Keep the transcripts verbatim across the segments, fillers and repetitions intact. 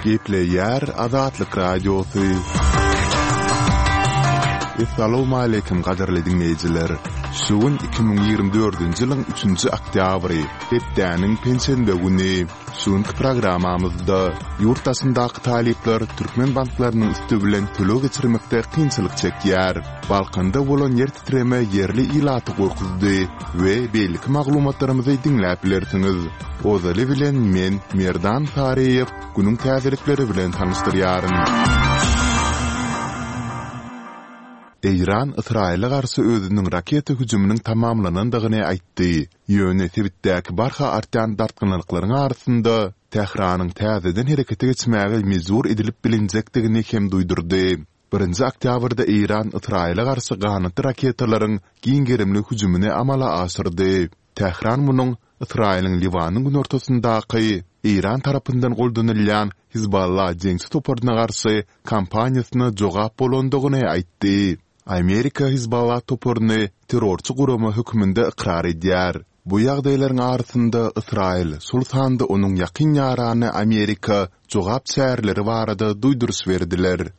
Gepleýär Azatlyk Radiosy. Essalawmaleýkim gadyrly diňleýjiler! Şu gün iki müň ýigrimi dördünji ýylyň üçünji oktýabry, hepdäniň penşenbe güni. Şu günki programmamyzda ýurt daşyndaky talyplar türkmen banklarynyň üsti bilen töleg geçirmekde kynçylyk çekýär. Balkanda bolan ýer titreme ýerli ilaty gorkuzdy we beýleki maglumatlarymyzy diňläp bilersiňiz. Ozaly bilen men, Merdan Saryýew, günüň täzelikleri bilen tanyşdyrýaryn. Eýran Ysraýyla garşy özüniň raketa hüjüminiň tamamlanandygyny aýtdy. Ýöne sebitdäki barha artýan dartgynlyklaryň arasynda Tähranyň täzeden herekete geçmäge mejbur edilip bilinjekdigini hem duýdurdy. Birinji oktýabrda Eýran Ysraýyla garşy ganatly raketalaryň giň gerimli hüjümini amala aşyrdy. Tähran munuň Ysraýylyň Liwanyň günortasyndaky Eýran tarapyndan goldanylýan Hizballa jeňçi toparyna garşy kampaniýasyna jogap bolandygyny aýtdy. Amerika Hizballa toparyny terrorçy gurama hökmünde ykrar edýär. Bu ýagdaýlaryň arasynda Ysraýyl, şol sanda onuň ýakyn ýarany Amerika jogap çäreleri barada duýduryş berdiler.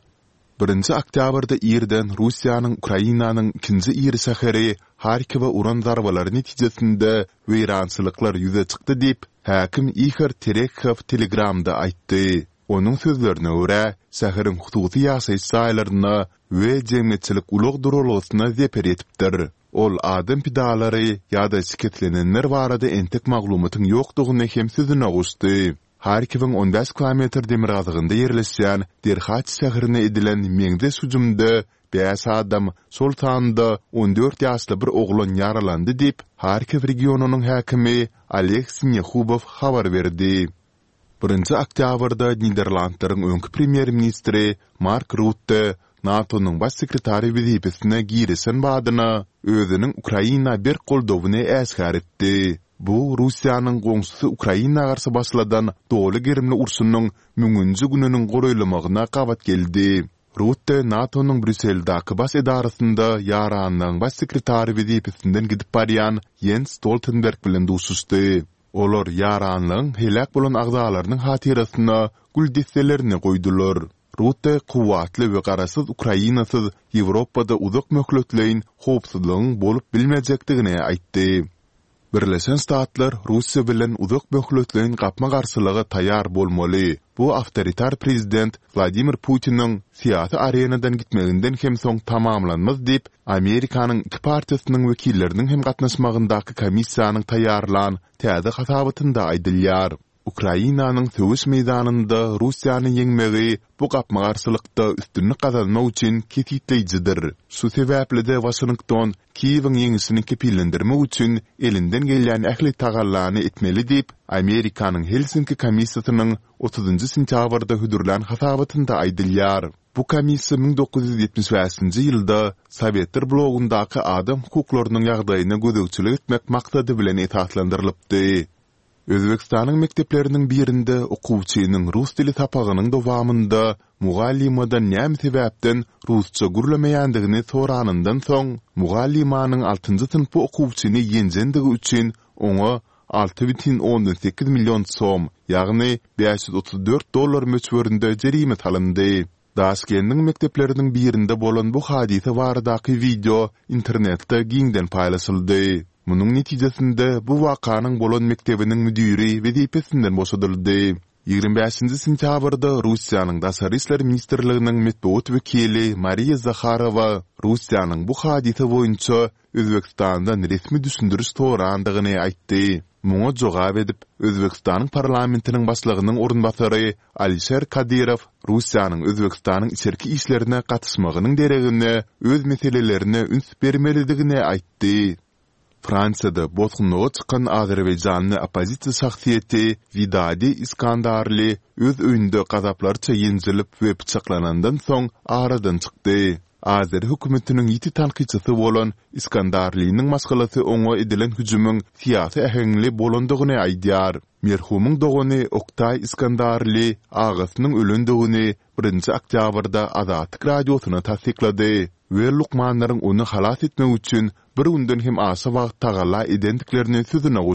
Birinji oktýabrda irden Russiýanyň Ukrainanyň ikinji iri şäheri Harkowa uran zarbalary netijesinde weýrançylyklar ýüze çykdy diýip, häkim Ihor Terekhow Telegramda aýtdy. Onuň sözlerine görä, şäheriň hususy ýaşaýyş jaýlaryna we jemgyýetçilik ulag duralgasyna zeper ýetipdir. Ol adam pidalary ýa-da şikeslenenler barada entek maglumatyň ýokdugyny hem sözüne goşdy. Harkiwiň on bäş kilometr demirgazygynda ýerleşýän Derhaç şäherine edilen meňzeş hüjümde bäş adam, şol sanda on dört ýaşly bir oglan ýaralandy diýip, Harkiw regionynyň häkimi Oleg Sinehubow habar berdi. Birinji oktýabrda Niderlandlaryň öňki premýer-ministri Mark Rutte NATO-nyň Baş sekretary wezipesine girişen badyna özüniň Ukraina berk goldawyny äşgär etdi. Bu Russiýanyň goňşusy Ukraina garşy başladan doly gerimli urşunyň müňünji gününiň golaýlamagyna gabat geldi. Rutte NATO-nyň Brýusseldäki baş edarasynda Ýaranlygyň Baş sekretary wezipesinden gidip barýan Ýens Stoltenberg bilen duşuşdy. Olar ýaranlygyň heläk bolan agzalarynyň hatyrasyna gül desselerini goýdular. Rutte kuwwatly we garaşsyz Ukrainasyz Ýewropada uzak möhletleýin howpsuzlygyň bolup bilmejekdigini aýtdy. Birleşen Ştatlar Russiýa bilen uzak möhletleýin gapma-garşylyga taýýar bolmaly, bu awtoritar prezident Wladimir Putiniň syýasy arenadan gitmeginden hem soň tamamlanmaz diýip, Amerikanyň iki partiýasynyň wekilleriniň hem gatnaşmagyndaky komissiýanyň taýýarlan täze hasabatynda aýdylýar. Ukrainanyň söweş meýdanynda Russiýany ýeňmegi bu gapma-garşylykda üstünlik gazanmak üçin kesgitleýjidir. Şu sebäpli-de Waşington Kiýewiň ýeňişini kepillendirmek üçin elinden gelýän ähli tagallany etmeli diýip, Amerikanyň Helsinki komissiýasynyň otuzynjy sentýabrda hödürlän hasabatynda aýdylýar. Bu komissiýa müň dokuz ýüz ýetmiş bäşinji ýylda Sowetler blogundaky adam hukuklarynyň ýagdaýyna gözegçilik etmek maksady bilen esaslandyrylypdy. Özbegistanyň mekdepleriniň birinde okuwçynyň rus dili sapagynyň dowamynda mugallymadan näme sebäpden rusça gürlemeýändigini soranyndan soň, mugallymanyň altynjy synpy okuwçyny ýenjendigi üçin oňa alty bütin ondan sekiz million som, ýagny bäş ýüz otuz dört dollar möçberinde jerime salyndy. Daşkendiň mekdepleriniň birinde bolan bu hadysa baradaky wideo internetde giňden paýlaşyldy. Munuň netijesinde bu wakanyň bolan mekdebiniň müdiri wezipesinden boşadyldy. Ýigrimi bäşinji sentýabrda Russiýanyň Daşary işler ministrliginiň metbugat wekili Mariýa Zaharowa Russiýanyň bu hadysa boýunça Özbegistandan resmi düşündiriş sorandygyny aýtdy. Muňa jogap edip, Özbegistanyň parlamentiniň başlygynyň orunbasary Alişer Kadyrow Russiýanyň Özbegistanyň içerki işlerine gatyşmagynyň deregine öz meselelerine üns bermelidigini aýtdy. Fransiýada bosgunlyga çykan azerbaýjanly oppozisiýa şahsyýeti Widadi Iskandarli öz öýünde gazaplarça ýenjilip we pyçaklanandan soň aradan çykdy. Azeri hökümetiniň ýiti tankytçysy bolan Iskandarliniň maşgalasy oňa edilen hüjümiň syýasy äheňli bolandygyny aýdýar. Merhumyň dogany Oktaý Iskandarli agasynyň ölendigini birinji oktýabrda Azatlyk Radiosyna tassyklady we lukmanlaryň ony halas etmek üçin bir günden hem aşa wagt tagalla edendiklerini sözüne goşdy.